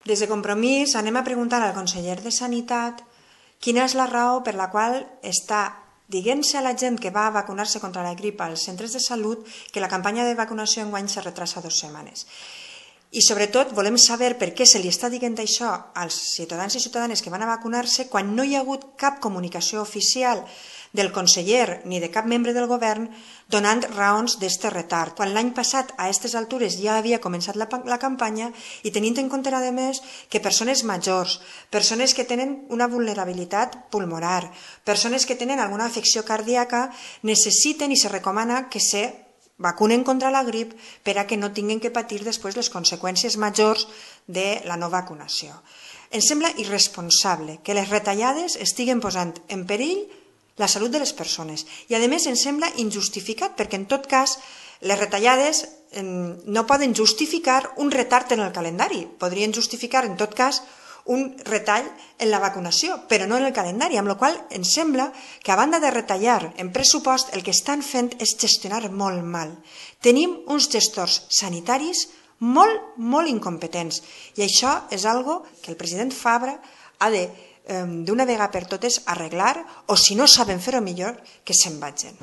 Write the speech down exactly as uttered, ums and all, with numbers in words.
Des de Compromís anem a preguntar al conseller de Sanitat quina és la raó per la qual està dient-se a la gent que va a vacunar-se contra la grip als centres de salut que la campanya de vacunació enguany se retrasa dues setmanes. I sobretot volem saber per què se li està dient això als ciutadans i ciutadanes que van a vacunar-se quan no hi ha hagut cap comunicació oficial del conseller ni de cap membre del govern donant raons d'aquest retard. Quan l'any passat a aquestes altures ja havia començat la, la campanya i tenint en compte a més que persones majors, persones que tenen una vulnerabilitat pulmonar, persones que tenen alguna afecció cardíaca necessiten i se recomana que se vacunen contra la grip per a que no tinguin que patir després les conseqüències majors de la no vacunació. Ens sembla irresponsable que les retallades estiguen posant en perill la salut de les persones i a més ens sembla injustificat perquè en tot cas les retallades no poden justificar un retard en el calendari, podrien justificar en tot cas un retall en la vacunació, però no en el calendari, amb la qual cosa ens sembla que a banda de retallar en pressupost el que estan fent és gestionar molt mal. Tenim uns gestors sanitaris molt, molt incompetents i això és algo que el president Fabra ha de d'una vegada per totes arreglar o si no saben fer-ho millor que se'n vagin.